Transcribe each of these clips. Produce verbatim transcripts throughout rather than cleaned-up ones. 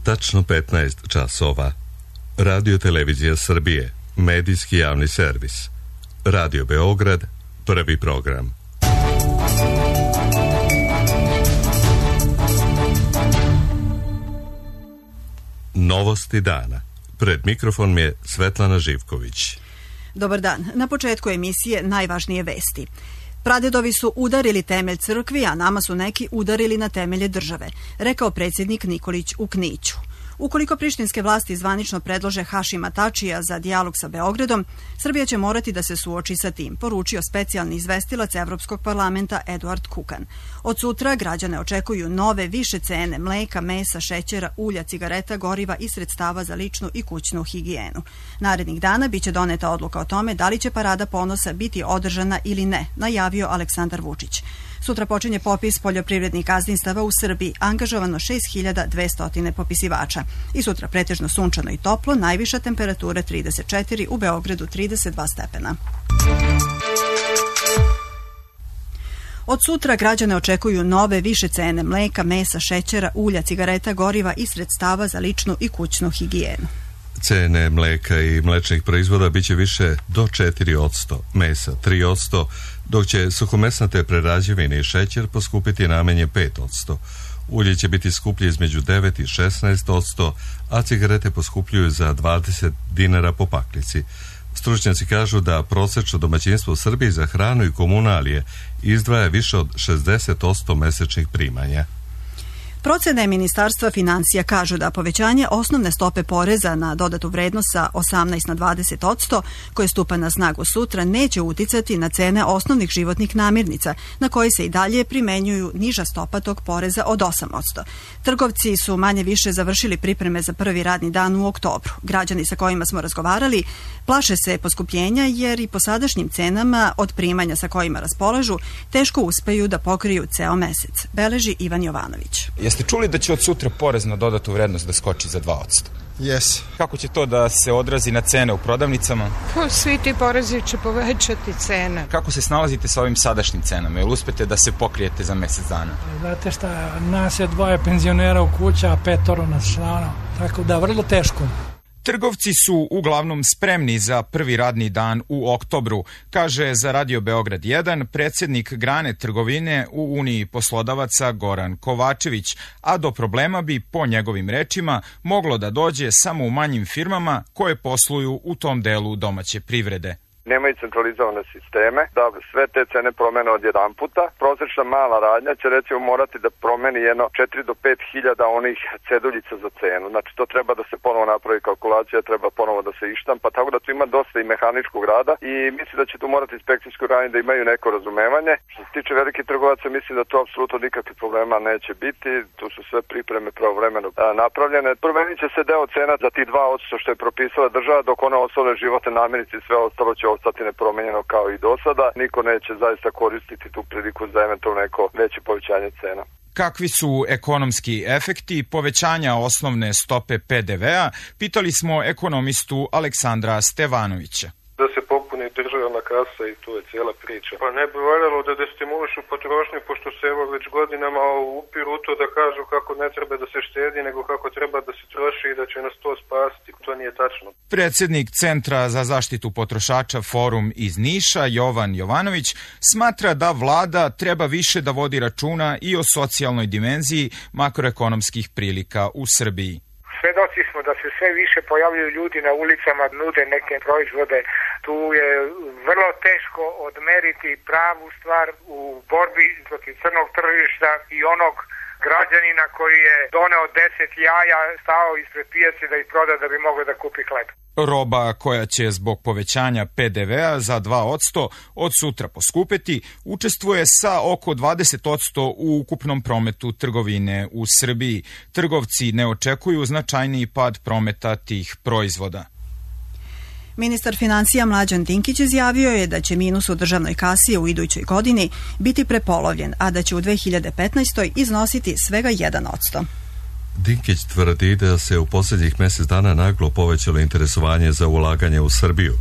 Tačno petnaest časova. Radio Televizija Srbije, medijski javni servis. Radio Beograd, prvi program. Novosti dana. Pred mikrofon je Svetlana Živković. Dobar dan. Na početku emisije najvažnije vesti. Pradedovi su udarili temelj crkvi, a nama su neki udarili na temelje države, rekao predsjednik Nikolić u Kniću. Ukoliko prištinske vlasti zvanično predlože Hašima Tačija za dijalog sa Beogradom, Srbija će morati da se suoči sa tim, poručio specijalni izvestilac Evropskog parlamenta Eduard Kukan. Od sutra građane očekuju nove, više cene mleka, mesa, šećera, ulja, cigareta, goriva i sredstava za ličnu i kućnu higijenu. Narednih dana biće doneta odluka o tome da li će Parada ponosa biti održana ili ne, najavio Aleksandar Vučić. Sutra počinje popis poljoprivrednih gazdinstava u Srbiji, angažovano šest hiljada dvesta popisivača. I sutra pretežno sunčano i toplo, najviša temperatura trideset četiri, u Beogradu trideset dva stepena. Od sutra građane očekuju nove, više cene mleka, mesa, šećera, ulja, cigareta, goriva i sredstava za ličnu i kućnu higijenu. Cene mleka i mlečnih proizvoda biće više do četiri posto, mesa tri posto, dok će suhomesnate prerađevine i šećer poskupiti najmanje pet posto. Ulje će biti skuplje između devet i šesnaest posto, a cigarete poskupljuju za dvadeset dinara po paklici. Stručnjaci kažu da prosečno domaćinstvo u Srbiji za hranu i komunalije izdvaja više od šezdeset posto mesečnih primanja. Procene Ministarstva financija kažu da povećanje osnovne stope poreza na dodatu vrednost sa osamnaest na dvadeset posto, koje stupa na snagu sutra, neće uticati na cene osnovnih životnih namirnica, na koje se i dalje primenjuju niža stopa tog poreza od osam posto. Trgovci su manje više završili pripreme za prvi radni dan u oktobru. Građani sa kojima smo razgovarali plaše se poskupljenja jer i po sadašnjim cenama od primanja sa kojima raspolažu teško uspeju da pokriju ceo mesec, beleži Ivan Jovanović. Jeste čuli da će od sutra porez na dodatu vrednost da skoči za dva posto? Jes. Kako će to da se odrazi na cene u prodavnicama? Pa svi ti porezi će povećati cene. Kako se snalazite sa ovim sadašnjim cenama? Jel uspete da se pokrijete za mesec dana? Znate šta, nas je dvoje penzionera u kuća, a petoro nas člana, tako da vrlo teško. Trgovci su uglavnom spremni za prvi radni dan u oktobru, kaže za Radio Beograd jedan predsjednik grane trgovine u Uniji poslodavaca Goran Kovačević, a do problema bi, po njegovim rečima, moglo da dođe samo u manjim firmama koje posluju u tom delu domaće privrede. Nemaju centralizovane sisteme, da sve te cene promene od jedan puta. Prosječna mala radnja će recimo morati da promeni jedno četiri do pet hiljada onih ceduljica za cenu. Znači to treba da se ponovo napravi kalkulacija, treba ponovo da se ištampa, tako da tu ima dosta i mehaničkog rada i mislim da će tu morati inspekcijsko radnje da imaju neko razumevanje. Što se tiče velikih trgovaca, mislim da to apsolutno nikakvih problema neće biti, tu su sve pripreme pravovremeno napravljene. Promenit će se deo cena za tih dva posto što je propisala država, dok one ostale životne namirnice i sve ostalo će ostati nepromenjeno kao i do sada. Niko neće zaista koristiti tu priliku za eventualno neko veće povećanje cena. Kakvi su ekonomski efekti povećanja osnovne stope pe de vea, pitali smo ekonomistu Aleksandra Stevanovića. Da se popuni državna kasa i tu je cijela priča. Pa ne bi valjalo da destimulišu potrošnju, pošto se evo već godinama upiru u to da kažu kako ne treba da se štedi, nego kako treba da se troši i da će nas to spasiti. To nije tačno. Predsjednik Centra za zaštitu potrošača Forum iz Niša, Jovan Jovanović, smatra da vlada treba više da vodi računa i o socijalnoj dimenziji makroekonomskih prilika u Srbiji. Svedoci smo da se sve više pojavljuju ljudi na ulicama, nude neke proizvode. Tu je vrlo teško odmeriti pravu stvar u borbi protiv crnog tržišta i onog građanina koji je doneo deset jaja, stao ispred pijace da ih proda da bi mogao da kupi hleb. Roba koja će zbog povećanja pe de vea za dva posto od sutra poskupeti učestvuje sa oko dvadeset posto u ukupnom prometu trgovine u Srbiji. Trgovci ne očekuju značajniji pad prometa tih proizvoda. Ministar financija Mlađan Dinkić izjavio je da će minus u državnoj kasi u idućoj godini biti prepolovljen, a da će u dve hiljade petnaestoj iznositi svega jedan posto. Dinkić tvrdi da se u posljednjih mjesec dana naglo povećalo interesovanje za ulaganje u Srbiju.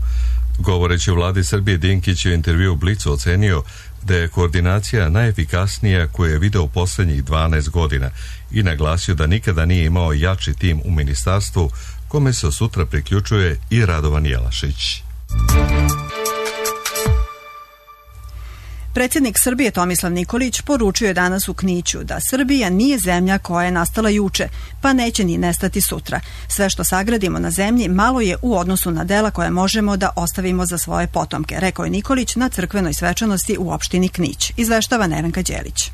Govoreći o vladi Srbije, Dinkić je u intervju u Blicu ocenio da je koordinacija najefikasnija koju je video u posljednjih dvanaest godina i naglasio da nikada nije imao jači tim u ministarstvu kome se sutra priključuje i Radovan Jelašić. Predsjednik Srbije Tomislav Nikolić poručio je danas u Kniću da Srbija nije zemlja koja je nastala juče, pa neće ni nestati sutra. Sve što sagradimo na zemlji malo je u odnosu na dela koje možemo da ostavimo za svoje potomke, rekao je Nikolić na crkvenoj svečanosti u opštini Knić. Izveštava Nevenka Đelić.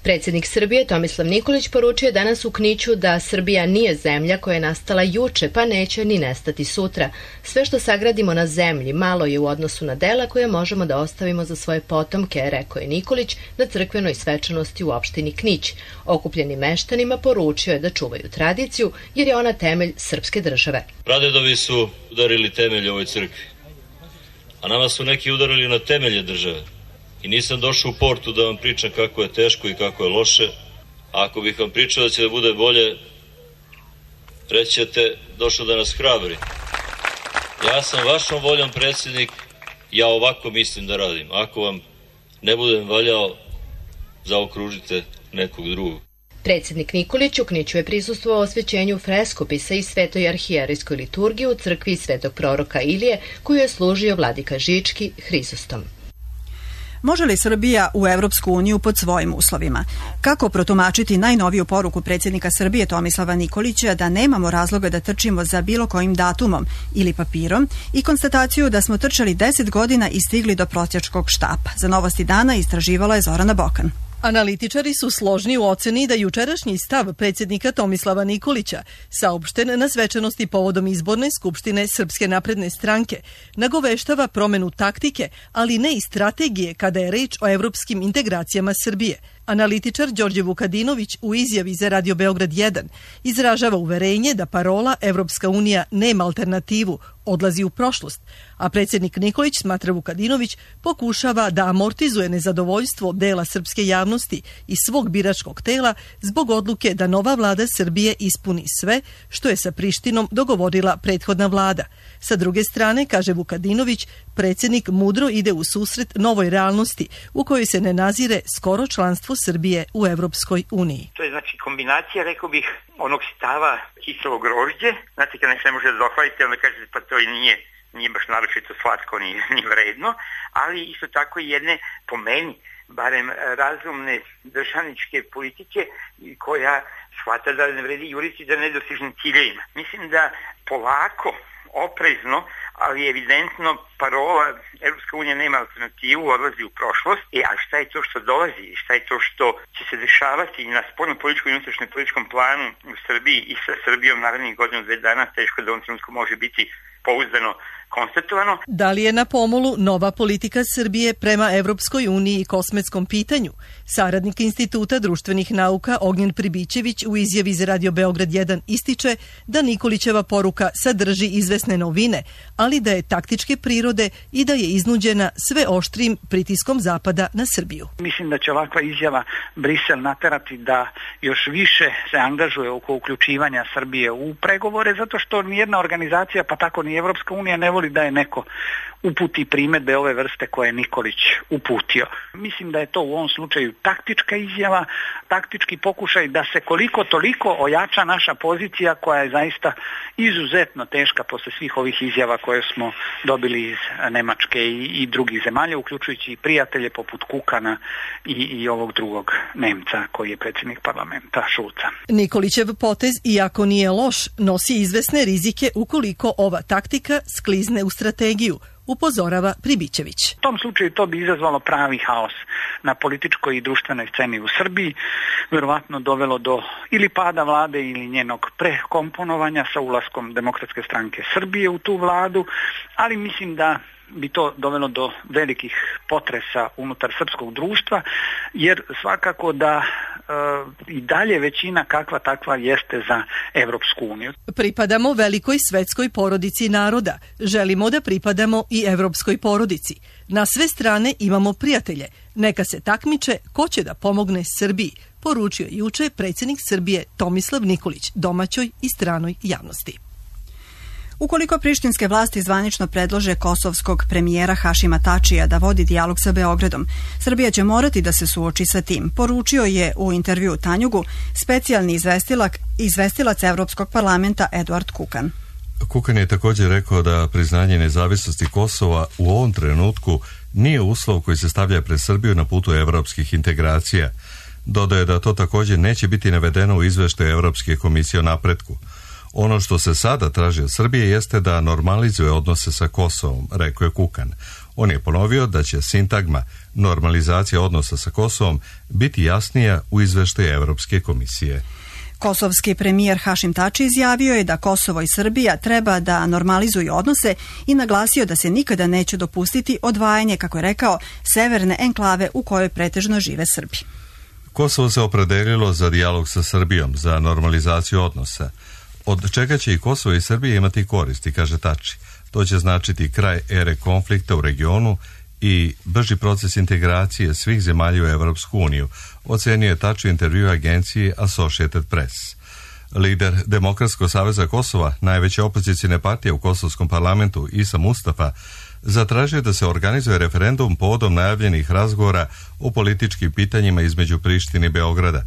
Predsjednik Srbije Tomislav Nikolić poručio je danas u Kniću da Srbija nije zemlja koja je nastala juče, pa neće ni nestati sutra. Sve što sagradimo na zemlji malo je u odnosu na dela koje možemo da ostavimo za svoje potomke, rekao je Nikolić na crkvenoj svečanosti u opštini Knić. Okupljenim meštanima poručio je da čuvaju tradiciju jer je ona temelj srpske države. Pradedovi su udarili temelj ovoj crkvi, a nama su neki udarili na temelje države. I nisam došao u portu da vam pričam kako je teško i kako je loše. A ako bih vam pričao da će da bude bolje, reći ćete došao da nas hrabri. Ja sam vašom voljom predsjednik, ja ovako mislim da radim. Ako vam ne budem valjao, zaokružite nekog drugog. Predsjednik Nikolić u Kniću je prisustvovao osvećenju freskopisa i svetoj arhijerejskoj liturgiji u crkvi svetog proroka Ilije, koju je služio vladika Žički Hrizostom. Može li Srbija u Evropsku uniju pod svojim uslovima? Kako protumačiti najnoviju poruku predsjednika Srbije Tomislava Nikolića da nemamo razloga da trčimo za bilo kojim datumom ili papirom i konstataciju da smo trčali deset godina i stigli do prosjačkog štapa? Za Novosti dana istraživala je Zorana Bokan. Analitičari su složni u oceni da jučerašnji stav predsjednika Tomislava Nikolića, saopšten na svečanosti povodom izborne skupštine Srpske napredne stranke, nagoveštava promenu taktike, ali ne i strategije kada je reč o evropskim integracijama Srbije. Analitičar Đorđe Vukadinović u izjavi za Radio Beograd jedan izražava uverenje da parola Evropska unija nema alternativu, odlazi u prošlost, a predsjednik Nikolić, smatra Vukadinović, pokušava da amortizuje nezadovoljstvo dela srpske javnosti i svog biračkog tela zbog odluke da nova vlada Srbije ispuni sve što je sa Prištinom dogovorila prethodna vlada. Sa druge strane, kaže Vukadinović, predsjednik mudro ide u susret novoj realnosti u kojoj se ne nazire skoro članstvo Srbije u Evropskoj uniji. To je znači kombinacija, rekao bih, onog stava kiselo grožđe. Znate, kad nešto ne može da dohvalite, onda kažete pa to i nije, nije baš naročito slatko ni, ni vredno, ali isto tako i jedne, po meni, barem razumne državničke politike koja shvata da ne vredi juriti za nedostižnim ciljevima. Mislim da polako, oprezno, ali evidentno parola Evropska unija nema alternativu, odlazi u prošlost. E, a šta je to što dolazi? Šta je to što će se dešavati na spoljnom političkom i unutrašnjem političkom planu u Srbiji i sa Srbijom narednih godinu, dve dana, teško da u ovom trenutku može biti pouzdano konstatovano. Da li je na pomolu nova politika Srbije prema Evropskoj uniji i kosmetskom pitanju? Saradnik Instituta društvenih nauka Ognjen Pribićević u izjavi za Radio Beograd jedan ističe da Nikolićeva poruka sadrži izvesne novine, ali da je taktičke prirode i da je iznuđena sve oštrijim pritiskom Zapada na Srbiju. Mislim da će ovakva izjava Brisel naterati da još više se angažuje oko uključivanja Srbije u pregovore, zato što nijedna organizacija, pa tako ni Evropska unija, ne voli da je neko uputi primedbe ove vrste koje je Nikolić uputio. Mislim da je to u ovom slučaju taktička izjava, taktički pokušaj da se koliko toliko ojača naša pozicija koja je zaista izuzetno teška posle svih ovih izjava koje smo dobili iz Nemačke i, i drugih zemalja, uključujući i prijatelje poput Kukana i, i ovog drugog Nemca koji je predsjednik parlamenta, Šulca. Nikolićev potez, iako nije loš, nosi izvesne rizike ukoliko ova taktika sklizne u strategiju, upozorava Pribićević. U tom slučaju to bi izazvalo pravi haos na političkoj i društvenoj sceni u Srbiji, verovatno dovelo do ili pada vlade ili njenog prekomponovanja sa ulaskom Demokratske stranke Srbije u tu vladu, ali mislim da bi to dovelo do velikih potresa unutar srpskog društva, jer svakako da e, i dalje većina kakva takva jeste za Evropsku uniju. Pripadamo velikoj svetskoj porodici naroda. Želimo da pripadamo i evropskoj porodici. Na sve strane imamo prijatelje. Neka se takmiče ko će da pomogne Srbiji, poručio juče predsjednik Srbije Tomislav Nikolić domaćoj i stranoj javnosti. Ukoliko prištinske vlasti zvanično predlože kosovskog premijera Hašima Tačija da vodi dijalog sa Beogradom, Srbija će morati da se suoči sa tim, poručio je u intervju Tanjugu specijalni izvestilac, izvestilac Evropskog parlamenta Eduard Kukan. Kukan je također rekao da priznanje nezavisnosti Kosova u ovom trenutku nije uslov koji se stavlja pred Srbiju na putu evropskih integracija. Dodaje da to također neće biti navedeno u izveštaju Evropske komisije o napretku. Ono što se sada traži od Srbije jeste da normalizuje odnose sa Kosovom, rekao je Kukan. On je ponovio da će sintagma normalizacija odnosa sa Kosovom biti jasnija u izveštaju Evropske komisije. Kosovski premijer Hašim Tači izjavio je da Kosovo i Srbija treba da normalizuju odnose i naglasio da se nikada neće dopustiti odvajanje, kako je rekao, severne enklave u kojoj pretežno žive Srbi. Kosovo se opredelilo za dijalog sa Srbijom, za normalizaciju odnosa. Od čega će i Kosovo i Srbija imati koristi, kaže Tači. To će značiti kraj ere konflikta u regionu i brži proces integracije svih zemalja u Evropsku uniju, ocenio je Tači u intervju agenciji Associated Press. Lider Demokratskog saveza Kosova, najveće opozicijne partije u kosovskom parlamentu, Isa Mustafa, zatražio da se organizuje referendum povodom najavljenih razgovora o političkim pitanjima između Prištine i Beograda.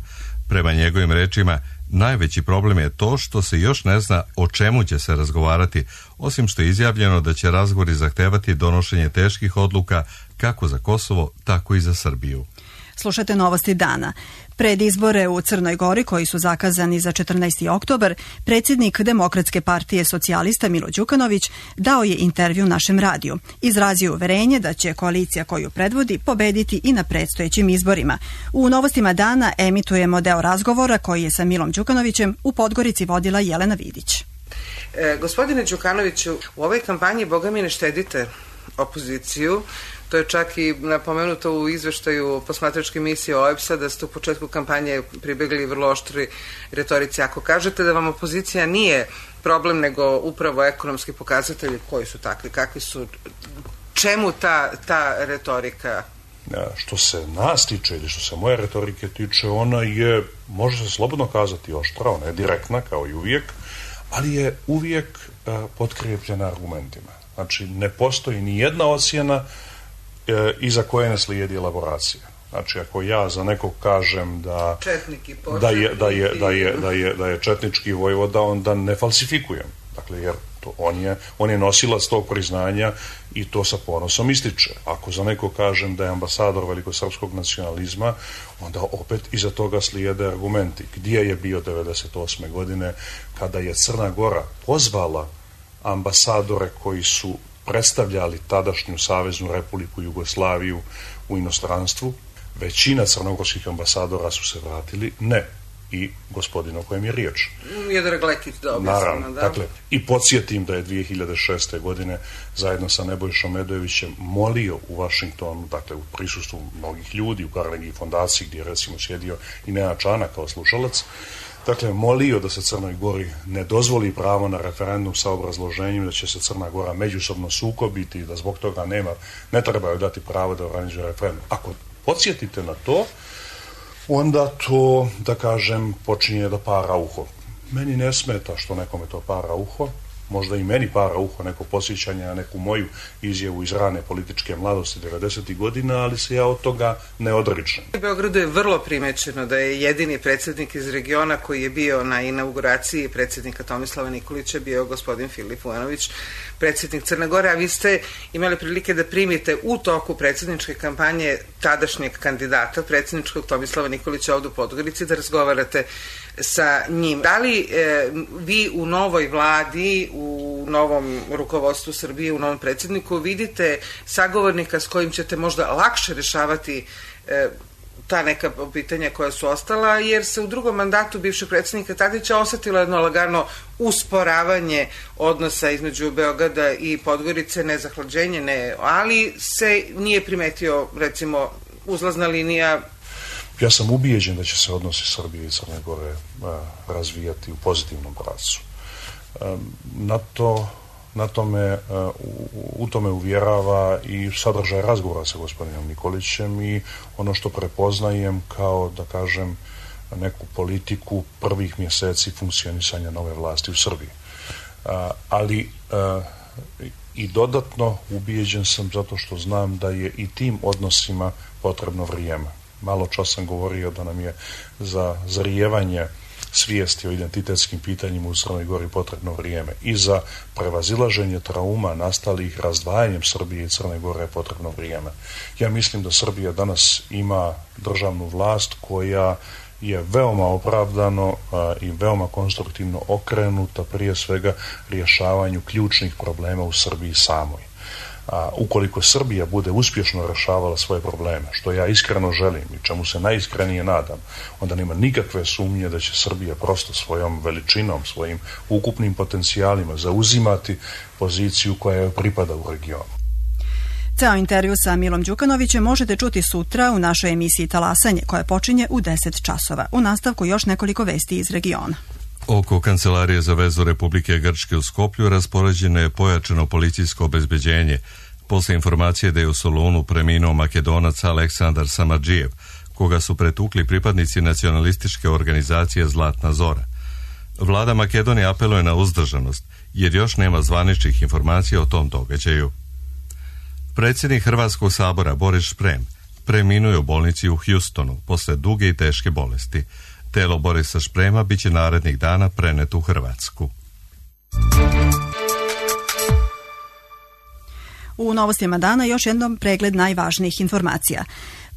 Prema njegovim rečima, najveći problem je to što se još ne zna o čemu će se razgovarati, osim što je izjavljeno da će razgovori zahtevati donošenje teških odluka kako za Kosovo, tako i za Srbiju. Slušajte novosti dana. Pred izbore u Crnoj Gori, koji su zakazani za četrnaesti oktobar, predsjednik Demokratske partije socijalista Milo Đukanović dao je intervju našem radiju. Izrazio uverenje da će koalicija koju predvodi pobediti i na predstojećim izborima. U novostima dana emitujemo deo razgovora koji je sa Milom Đukanovićem u Podgorici vodila Jelena Vidić. E, gospodine Đukanoviću, u ovoj kampanji boga mi ne štedite opoziciju. To je čak i napomenuto u izveštaju posmatračke misije O E B S-a da ste u početku kampanje pribegli vrlo oštri retorici. Ako kažete da vam opozicija nije problem nego upravo ekonomski pokazatelji, koji su takvi, kakvi su, čemu ta, ta retorika? Što se nas tiče ili što se moje retorike tiče, ona je, može se slobodno kazati, oštra, ona je direktna kao i uvijek, ali je uvijek uh, potkrijepljena argumentima. Znači, ne postoji ni jedna ocjena e, iza koje ne slijedi elaboracija. Znači, ako ja za nekog kažem da, da, je, da, je, da, je, da, je, da je četnički vojvoda, onda ne falsifikujem. Dakle, jer to, on, je, on je nosilac tog priznanja i to sa ponosom ističe. Ako za nekog kažem da je ambasador velikosrpskog nacionalizma, onda opet iza toga slijede argumenti. Gdje je bio devedeset osme godine kada je Crna Gora pozvala ambasadore koji su predstavljali tadašnju Saveznu Republiku Jugoslaviju u inostranstvu? Većina crnogorskih ambasadora su se vratili, ne. I gospodin o kojem je riječ. Jedrag Lekić, da objasnimo, da. Dakle, i podsjetim da je dvije hiljade šeste. godine zajedno sa Nebojšom Medojevićem molio u Vašingtonu, dakle u prisustvu mnogih ljudi, u Carnegie fondaciji gdje je recimo sjedio i Nenad Čanak kao slušalac, dakle, molio da se Crnoj Gori ne dozvoli pravo na referendum sa obrazloženjem da će se Crna Gora međusobno sukobiti i da zbog toga nema, ne trebaju dati pravo da organizuje referendum. Ako podsjetite na to, onda to, da kažem, počinje da para uho. Meni ne smeta što nekome to para uho, možda i meni para uho neko posjećanje na neku moju izjavu iz rane političke mladosti devedesetih godina, ali se ja od toga ne odričem. U Beogradu je vrlo primećeno da je jedini predsjednik iz regiona koji je bio na inauguraciji predsjednika Tomislava Nikolića bio gospodin Filip Vujanović, predsjednik Crne Gore, a vi ste imali prilike da primite u toku predsjedničke kampanje tadašnjeg kandidata predsjedničkog Tomislava Nikolića ovdje u Podgorici da razgovarate sa njim. Da li e, vi u novoj vladi, u novom rukovodstvu Srbije, u novom predsjedniku vidite sagovornika s kojim ćete možda lakše rješavati e, ta neka pitanja koja su ostala, jer se u drugom mandatu bivšeg predsjednika Tadića osjetilo jedno lagano usporavanje odnosa između Beograda i Podgorice, ne zahlađenje, ne, ali se nije primetio, recimo, uzlazna linija. Ja sam ubijeđen da će se odnosi Srbije i Crne Gore a, razvijati u pozitivnom pravcu. Na to, na tome, a, u, u tome uvjerava i sadržaj razgovora sa gospodinom Nikolićem i ono što prepoznajem kao, da kažem, neku politiku prvih mjeseci funkcionisanja nove vlasti u Srbiji. ali i dodatno ubijeđen sam zato što znam da je i tim odnosima potrebno vrijeme. Malo čas sam govorio da nam je za zarijevanje svijesti o identitetskim pitanjima u Crnoj Gori potrebno vrijeme i za prevazilaženje trauma nastalih razdvajanjem Srbije i Crne Gore je potrebno vrijeme. Ja mislim da Srbija danas ima državnu vlast koja je veoma opravdano a, i veoma konstruktivno okrenuta prije svega rješavanju ključnih problema u Srbiji samoj. A ukoliko Srbija bude uspješno rješavala svoje probleme, što ja iskreno želim i čemu se najiskrenije nadam, onda nema nikakve sumnje da će Srbija prosto svojom veličinom, svojim ukupnim potencijalima zauzimati poziciju koja joj pripada u regionu. Ceo intervju sa Milom Đukanovićem možete čuti sutra u našoj emisiji Talasanje, koja počinje u deset časova. U nastavku još nekoliko vesti iz regiona. Oko Kancelarije za vezu Republike Grčke u Skoplju raspoređeno je pojačano policijsko obezbeđenje posle informacije da je u Solunu preminuo Makedonac Aleksandar Samardžijev, koga su pretukli pripadnici nacionalističke organizacije Zlatna Zora. Vlada Makedonije apeluje na uzdržanost, jer još nema zvaničnih informacija o tom događaju. Predsjednik Hrvatskog sabora Boris Šprem preminuo je u bolnici u Houstonu posle duge i teške bolesti. Telo Borisa Šprema biće narednih dana preneto u Hrvatsku. U novostima dana još jednom pregled najvažnijih informacija.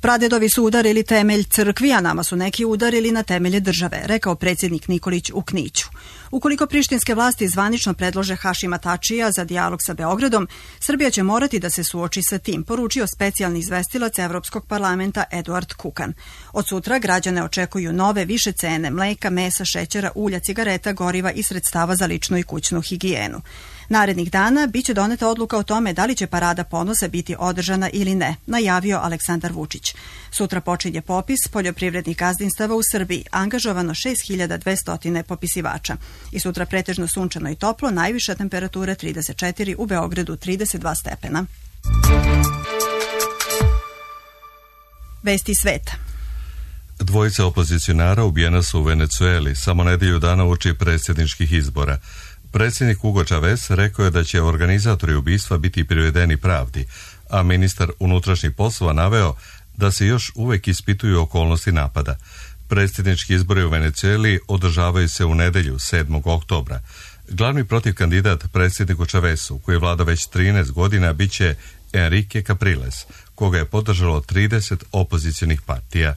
Pradedovi su udarili temelj crkvi, a nama su neki udarili na temelje države, rekao predsjednik Nikolić u Kniću. Ukoliko prištinske vlasti zvanično predlože Hašima Tačija za dijalog sa Beogradom, Srbija će morati da se suoči sa tim, poručio specijalni izvestilac Evropskog parlamenta Eduard Kukan. Od sutra građane očekuju nove, više cene mleka, mesa, šećera, ulja, cigareta, goriva i sredstava za ličnu i kućnu higijenu. Narednih dana biće doneta odluka o tome da li će parada ponosa biti održana ili ne, najavio Aleksandar Vučić. Sutra počinje popis poljoprivrednih gazdinstava u Srbiji, angažovano šest hiljada dvesta popisivača. I sutra pretežno sunčano i toplo, najviša temperatura trideset četiri, u Beogradu trideset dva stepena. Vesti sveta. Dvojica opozicionara ubijena su u Venecueli, samo nedelju dana uoči predsjedničkih izbora. Predsjednik Hugo Chavez rekao je da će organizatori ubistva biti privedeni pravdi, a ministar unutrašnjih poslova naveo da se još uvek ispituju okolnosti napada. Predsjednički izbori u Venecueli održavaju se u nedelju sedmog oktobra. Glavni protiv kandidat predsjedniku Chavezu, koji vlada već trinaest godina, biće Enrique Capriles, koga je podržalo trideset opozicionih partija.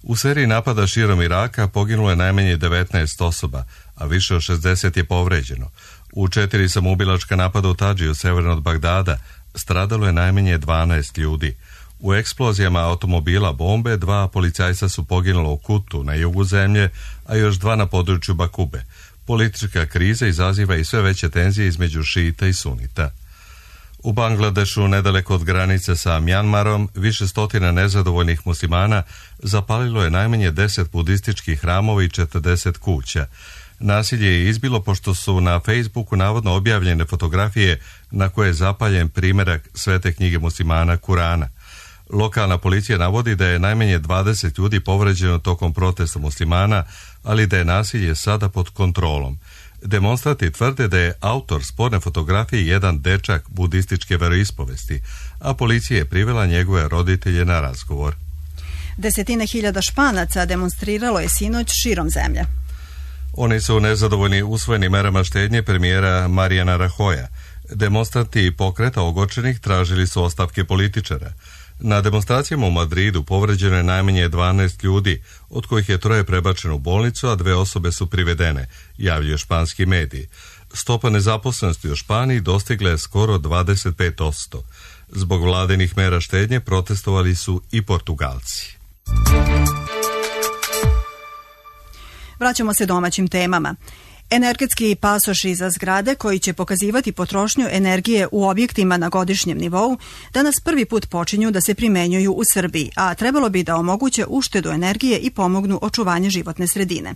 U seriji napada širom Iraka poginulo je najmanje devetnaest osoba, a više od šezdeset je povređeno. U četiri samoubilačka napada u Tadžiju, severno od Bagdada, stradalo je najmanje dvanaest ljudi. U eksplozijama automobila bombe dva policajca su poginula u Kutu na jugu zemlje, a još dva na području Bakube. Politička kriza izaziva i sve veće tenzije između šita i sunita. U Bangladešu, nedaleko od granice sa Mjanmarom, više stotina nezadovoljnih muslimana zapalilo je najmanje deset budističkih hramova i četrdeset kuća. Nasilje je izbilo pošto su na Facebooku navodno objavljene fotografije na koje je zapaljen primjerak svete knjige muslimana Kurana. Lokalna policija navodi da je najmanje dvadeset ljudi povređeno tokom protesta muslimana, ali da je nasilje sada pod kontrolom. Demonstranti tvrde da je autor sporne fotografije jedan dečak budističke veroispovesti, a policija je privela njegove roditelje na razgovor. Desetine hiljada Španaca demonstriralo je sinoć širom zemlje. Oni su nezadovoljni usvojenim merama štednje premijera Marijana Rahoja. Demonstranti pokreta ogorčenih tražili su ostavke političara. Na demonstracijama u Madridu povređeno je najmanje dvanaest ljudi, od kojih je troje prebačeno u bolnicu, a dve osobe su privedene, javljaju španski mediji. Stopa nezaposlenosti u Španiji dostigla je skoro dvadeset pet posto. Zbog vladinih mera štednje protestovali su i Portugalci. Vraćamo se domaćim temama. Energetski pasoši za zgrade koji će pokazivati potrošnju energije u objektima na godišnjem nivou danas prvi put počinju da se primenjuju u Srbiji, a trebalo bi da omoguće uštedu energije i pomognu očuvanje životne sredine.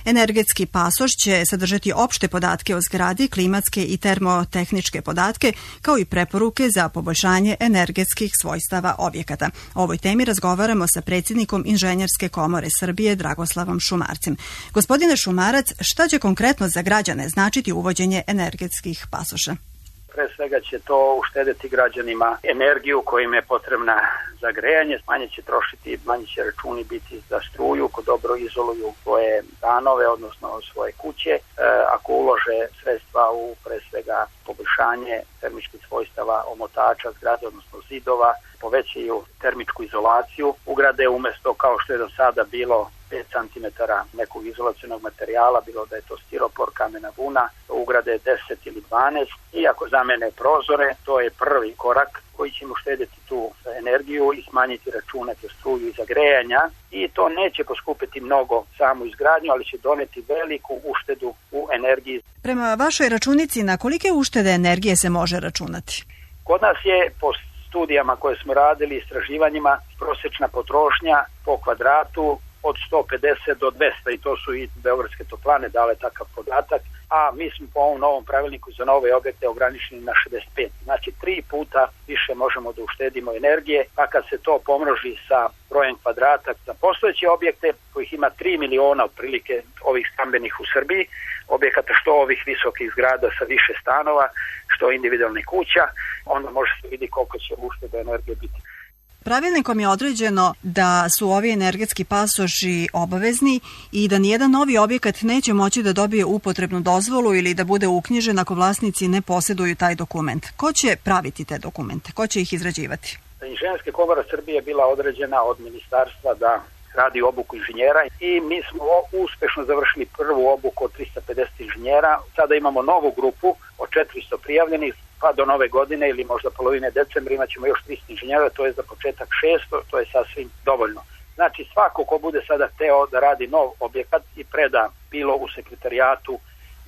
Energetski pasoš će sadržati opšte podatke o zgradi, klimatske i termotehničke podatke, kao i preporuke za poboljšanje energetskih svojstava objekata. O ovoj temi razgovaramo sa predsjednikom Inženjerske komore Srbije, Dragoslavom Šumarcem. Gospodine Šumarac, šta će konkretno za građane značiti uvođenje energetskih pasoša? Pre svega će to uštedeti građanima energiju koja im je potrebna za grejanje, manje će trošiti, manje će računi biti za struju, ko dobro izoluju svoje stanove, odnosno svoje kuće. E, ako ulože sredstva u pre svega poboljšanje termičkih svojstava omotača zgrade, odnosno zidova, povećaju termičku izolaciju, ugrade umjesto kao što je do sada bilo pet centimetara nekog izolacionog materijala, bilo da je to stiropor, kamena vuna, ugrade deset ili dvanaest i ako zamene prozore, to je prvi korak koji će mu štediti tu energiju i smanjiti račune za struju i za grejanja i to neće poskupiti mnogo samu izgradnju, ali će doneti veliku uštedu u energiji. Prema vašoj računici, na kolike uštede energije se može računati? Kod nas je po studijama koje smo radili, istraživanjima, prosječna potrošnja po kvadratu od sto pedeset do dvesta i to su i Beogradske toplane dale takav podatak, a mi smo po ovom novom pravilniku za nove objekte ograničeni na šezdeset pet. Znači tri puta više možemo da uštedimo energije, pa kad se to pomnoži sa brojem kvadrata za postojeće objekte, kojih ima tri miliona otprilike ovih stambenih u Srbiji, objekata što ovih visokih zgrada sa više stanova, što individualnih kuća, onda može se vidi koliko će ušteda energije biti. Pravilnikom je određeno da su ovi energetski pasoši obavezni i da nijedan novi objekat neće moći da dobije upotrebnu dozvolu ili da bude uknjižen ako vlasnici ne posjeduju taj dokument. Ko će praviti te dokumente? Ko će ih izrađivati? Inženjerska komora Srbije je bila određena od ministarstva da radi obuku inženjera i mi smo uspešno završili prvu obuku od trista pedeset inženjera. Sada imamo novu grupu od četiristo prijavljenih, pa do nove godine ili možda polovine decembra imat ćemo još tristo inženjera, to je za početak šesto, to je sasvim dovoljno. Znači svako ko bude sada hteo da radi nov objekat i preda bilo u sekretarijatu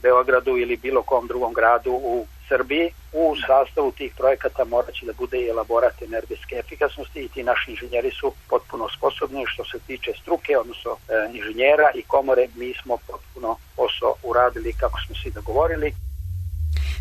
Beogradu ili bilo kom drugom gradu u Srbiji, u sastavu tih projekata morat će da bude i elaborat energetske efikasnosti i ti naši inženjeri su potpuno sposobni. Što se tiče struke, odnosno e, inženjera i komore, mi smo potpuno posao uradili kako smo svi dogovorili.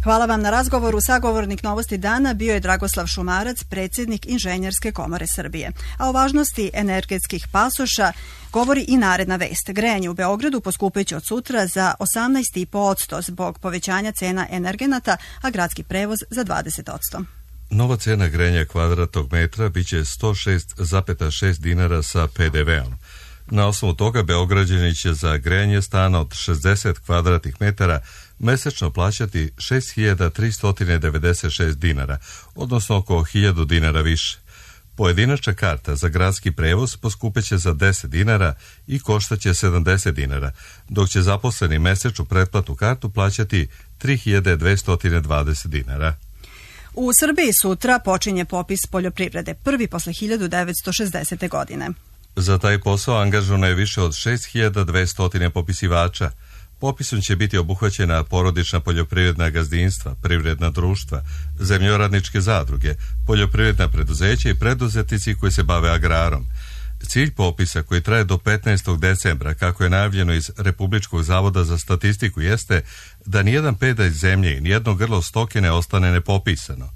Hvala vam na razgovoru. Sagovornik Novosti dana bio je Dragoslav Šumarac, predsjednik Inženjerske komore Srbije. A o važnosti energetskih pasoša govori i naredna vest. Grejanje u Beogradu poskupeće od sutra za osamnaest zarez pet posto zbog povećanja cena energenata, a gradski prevoz za dvadeset posto. Nova cena grejanja kvadratnog metra biće sto šest zarez šest dinara sa pe de veom. Na osnovu toga Beograđani će za grejanje stana od šezdeset kvadratnih metara mesečno plaćati šest hiljada tristo devedeset šest dinara, odnosno oko hiljadu dinara više. Pojedinačna karta za gradski prevoz poskupeće za deset dinara i koštaće sedamdeset dinara, dok će zaposleni mesečnu pretplatu kartu plaćati tri hiljade dvesta dvadeset dinara. U Srbiji sutra počinje popis poljoprivrede, prvi posle hiljadu devetsto šezdesete. godine. Za taj posao angažovano je više od šest hiljada dvesta popisivača. Popisom će biti obuhvaćena porodična poljoprivredna gazdinstva, privredna društva, zemljoradničke zadruge, poljoprivredna preduzeća i preduzetnici koji se bave agrarom. Cilj popisa, koji traje do petnaestog decembra, kako je najavljeno iz Republičkog zavoda za statistiku, jeste da nijedan pedalj zemlje i nijedno grlo stoke ne ostane nepopisano.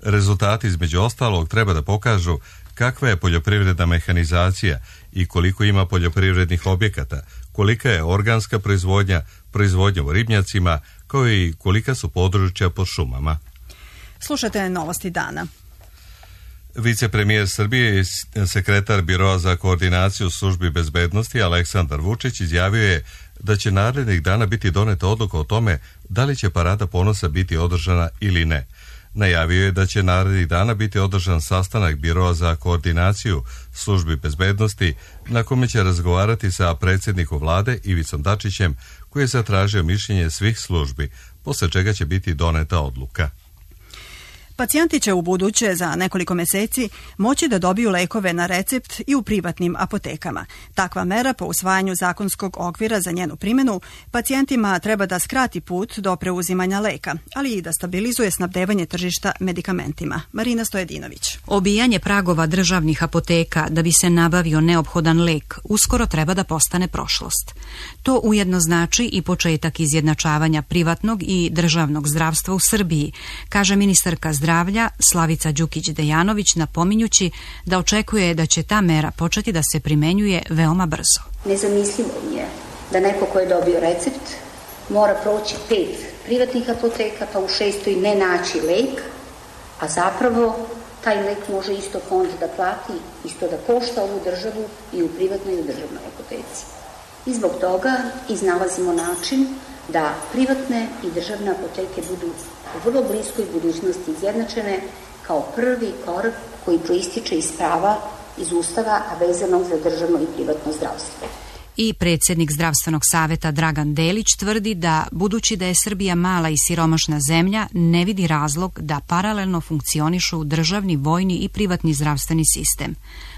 Rezultati između ostalog treba da pokažu kakva je poljoprivredna mehanizacija i koliko ima poljoprivrednih objekata, kolika je organska proizvodnja, proizvodnja u ribnjacima, kao i kolika su područja pod šumama. Slušate Novosti dana. Vicepremijer Srbije i sekretar Biroa za koordinaciju službi bezbednosti Aleksandar Vučić izjavio je da će narednih dana biti doneta odluka o tome da li će Parada ponosa biti održana ili ne. Najavio je da će narednih dana biti održan sastanak Biroa za koordinaciju službi bezbednosti, na kome će razgovarati sa predsjednikom vlade Ivicom Dačićem, koji je zatražio mišljenje svih službi, posle čega će biti doneta odluka. Pacijenti će u buduće za nekoliko meseci moći da dobiju lekove na recept i u privatnim apotekama. Takva mera po usvajanju zakonskog okvira za njenu primjenu pacijentima treba da skrati put do preuzimanja leka, ali i da stabilizuje snabdevanje tržišta medikamentima. Marina Stojedinović. Obijanje pragova državnih apoteka da bi se nabavio neophodan lek uskoro treba da postane prošlost. To ujedno znači i početak izjednačavanja privatnog i državnog zdravstva u Srbiji, kaže ministarka zdravlja Slavica Đukić-Dejanović, napominjući da očekuje da će ta mera početi da se primenjuje veoma brzo. Nezamislivo mi je da neko ko je dobio recept mora proći pet privatnih apoteka pa u šestoj ne naći lek, a zapravo taj lek može isto fond da plati, isto da košta ovu državu i u privatnoj i u državnoj apoteci. I zbog toga iznalazimo način da privatne i državne apoteke budu u vrlo bliskoj budućnosti izjednačene kao prvi korak koji proističe iz prava iz Ustava, a vezanog za državno i privatno zdravstvo. I predsjednik Zdravstvenog saveta Dragan Delić tvrdi da, budući da je Srbija mala i siromašna zemlja, ne vidi razlog da paralelno funkcionišu državni, vojni i privatni zdravstveni sistem.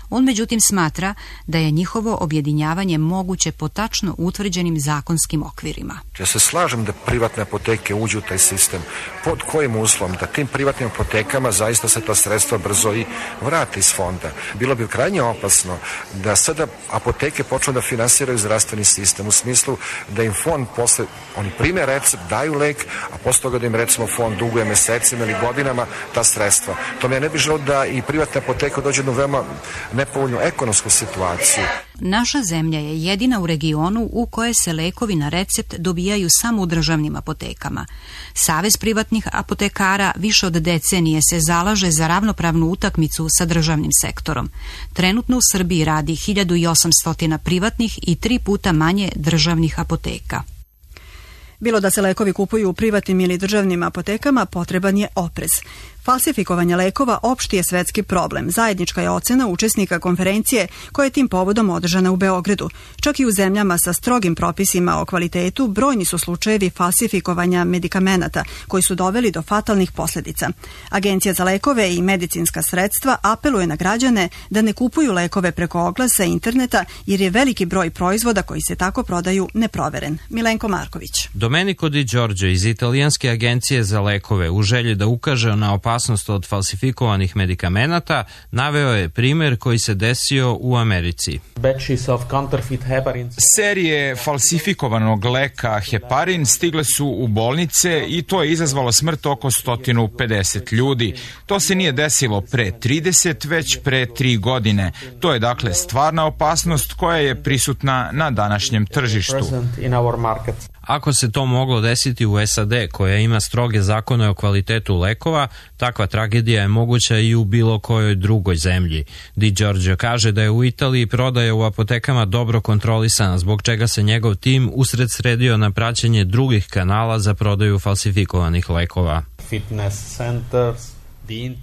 On međutim smatra da je njihovo objedinjavanje moguće po tačno utvrđenim zakonskim okvirima. Ja se slažem da privatne apoteke uđu u taj sistem. Pod kojim uslovom? Da tim privatnim apotekama zaista se ta sredstva brzo i vrate iz fonda. Bilo bi krajnje opasno da sada apoteke počnu da finansiraju zdravstveni sistem u smislu da im fond posle, oni prime recept, daju lek, a posle toga da im recimo fond duguje mesecima ili godinama ta sredstva. To me ne bi želeo da i privatne apoteke dođe do veoma nepovoljnu ekonomsku situaciju. Naša zemlja je jedina u regionu u kojoj se lekovi na recept dobijaju samo u državnim apotekama. Savez privatnih apotekara više od decenije se zalaže za ravnopravnu utakmicu sa državnim sektorom. Trenutno u Srbiji radi hiljadu osamsto privatnih i tri puta manje državnih apoteka. Bilo da se lekovi kupuju u privatnim ili državnim apotekama, potreban je oprez. Falsifikovanje lekova opšti je svetski problem. Zajednička je ocena učesnika konferencije koja je tim povodom održana u Beogradu. Čak i u zemljama sa strogim propisima o kvalitetu brojni su slučajevi falsifikovanja medikamenata koji su doveli do fatalnih posljedica. Agencija za lekove i medicinska sredstva apeluje na građane da ne kupuju lekove preko oglasa interneta jer je veliki broj proizvoda koji se tako prodaju neproveren. Milenko Marković. Domenico Di Giorgio iz italijanske agencije za lekove u želji da ukaže na opasnost od falsifikovanih medikamenata naveo je primjer koji se desio u Americi. Serije falsifikovanog leka heparin stigle su u bolnice i to je izazvalo smrt oko sto pedeset ljudi. To se nije desilo pre trideset, već pre tri godine. To je dakle stvarna opasnost koja je prisutna na današnjem tržištu. Ako se to moglo desiti u S A D, koja ima stroge zakone o kvalitetu lekova, takva tragedija je moguća i u bilo kojoj drugoj zemlji. Di Giorgio kaže da je u Italiji prodaja u apotekama dobro kontrolisana, zbog čega se njegov tim usred sredio na praćenje drugih kanala za prodaju falsifikovanih lekova. Fitness centers,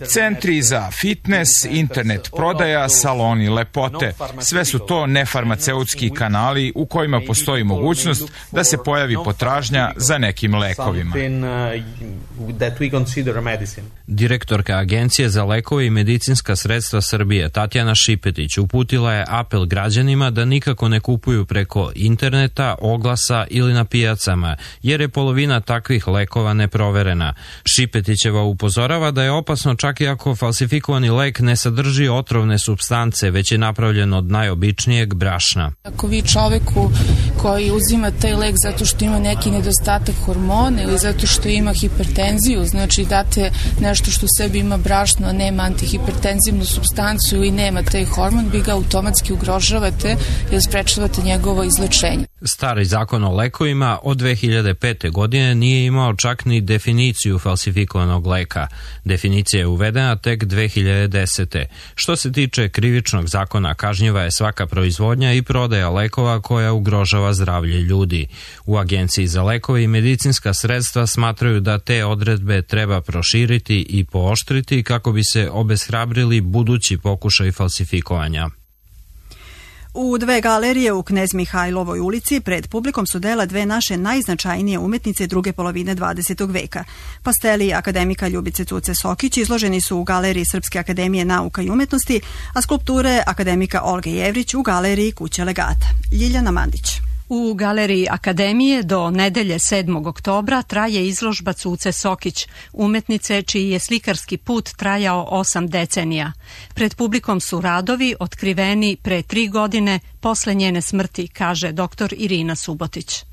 centri za fitness, internet prodaja, saloni lepote. Sve su to nefarmaceutski kanali u kojima postoji mogućnost da se pojavi potražnja za nekim lekovima. Direktorka Agencije za lekove i medicinska sredstva Srbije, Tatjana Šipetić, uputila je apel građanima da nikako ne kupuju preko interneta, oglasa ili na pijacama, jer je polovina takvih lekova neproverena. Šipetićeva upozorava da je opasno čak i ako falsifikovani lek ne sadrži otrovne supstance, već je napravljen od najobičnijeg brašna. Ako vi čoveku koji uzima taj lek zato što ima neki nedostatak hormona ili zato što ima hipertenziju, znači date nešto što u sebi ima brašno, a nema antihipertenzivnu supstancu ili nema taj hormon, vi ga automatski ugrožavate jer sprečavate njegovo izlečenje. Stari zakon o lekovima od dve hiljade pete. godine nije imao čak ni definiciju falsifikovanog leka. Definicija je uvedena tek dve hiljade desete. Što se tiče krivičnog zakona, kažnjiva je svaka proizvodnja i prodaja lekova koja ugrožava zdravlje ljudi. U Agenciji za lekove i medicinska sredstva smatraju da te odredbe treba proširiti i pooštriti kako bi se obeshrabrili budući pokušaj falsifikovanja. U dve galerije u Knez Mihajlovoj ulici pred publikom su dela dve naše najznačajnije umetnice druge polovine dvadesetog veka. Pasteli akademika Ljubice Cuce Sokić izloženi su u galeriji Srpske akademije nauka i umetnosti, a skulpture akademika Olge Jevrić u galeriji Kuće legata. Ljiljana Mandić. U galeriji Akademije do nedelje sedmog oktobra traje izložba Cuce Sokić, umetnice čiji je slikarski put trajao osam decenija. Pred publikom su radovi otkriveni pre tri godine posle njene smrti, kaže doktor Irina Subotić.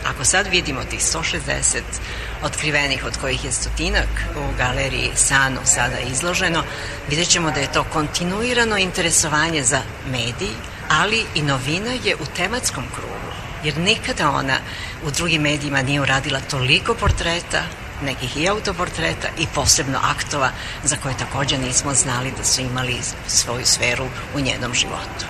Ako sad vidimo tih sto šezdeset otkrivenih, od kojih je stotinak u galeriji Sano sada izloženo, vidjet ćemo da je to kontinuirano interesovanje za medij, ali i novina je u tematskom krugu. Jer nikada ona u drugim medijima nije uradila toliko portreta, nekih i autoportreta i posebno aktova za koje također nismo znali da su imali svoju sferu u njenom životu.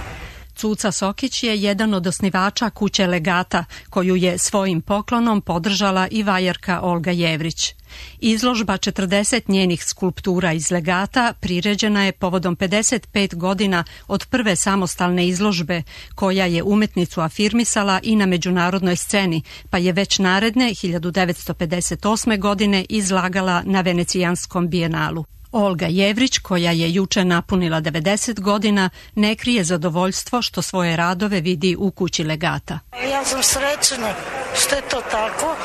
Cuca Sokić je jedan od osnivača Kuće legata, koju je svojim poklonom podržala i vajarka Olga Jevrić. Izložba četrdeset njenih skulptura iz legata priređena je povodom pedeset pet godina od prve samostalne izložbe, koja je umetnicu afirmisala i na međunarodnoj sceni, pa je već naredne hiljadu devetsto pedeset osme. godine izlagala na Venecijanskom bijenalu. Olga Jevrić, koja je juče napunila devedeset godina, ne krije zadovoljstvo što svoje radove vidi u Kući legata. Ja sam srećna što je to tako,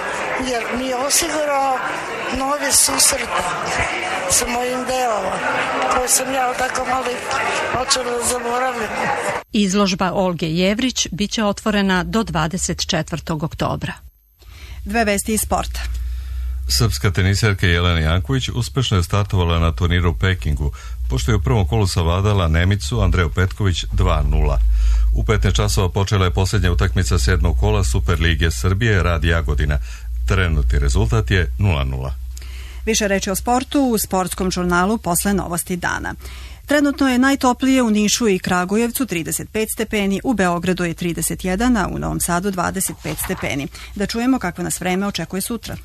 jer mi je osigurao nove susrete sa mojim delama, koje sam ja tako malo počela da zaboravim. Izložba Olge Jevrić biće otvorena do dvadeset četvrtog oktobra. Dve vesti iz sporta. Srpska teniserka Jelena Janković uspešno je startovala na turniru u Pekingu, pošto je u prvom kolu savladala Nemicu Andreju Petković dva nula. U petnaest časova počela je posljednja utakmica sedmog kola Superlige Srbije Rad Jagodina. Trenutni rezultat je nula nula. Više reči o sportu u sportskom žurnalu posle novosti dana. Trenutno je najtoplije u Nišu i Kragujevcu trideset pet stepeni, u Beogradu je trideset jedan, a u Novom Sadu dvadeset pet stepeni. Da čujemo kakvo nas vreme očekuje sutra.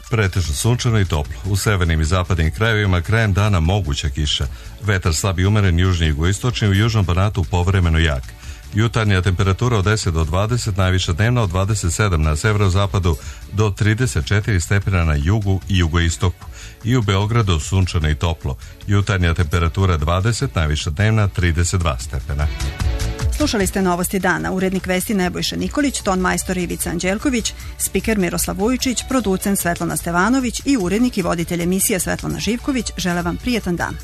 Pretežno sunčano i toplo. U severnim i zapadnim krajevima krajem dana moguća kiša. Vetar slab i umeren južni i jugoistočni, u južnom Banatu povremeno jak. Jutarnja temperatura od deset do dvadeset, najviša dnevna od dvadeset sedam na severozapadu do trideset četiri stepena na jugu i jugoistoku. I u Beogradu sunčano i toplo. Jutarnja temperatura dvadeset, najviša dnevna trideset dva stepena. Slušali ste novosti dana. Urednik vesti Nebojša Nikolić, ton majstor Ivica Anđelković, spiker Miroslav Vujičić, producent Svetlana Stevanović i urednik i voditelj emisije Svetlana Živković žele vam prijetan dan.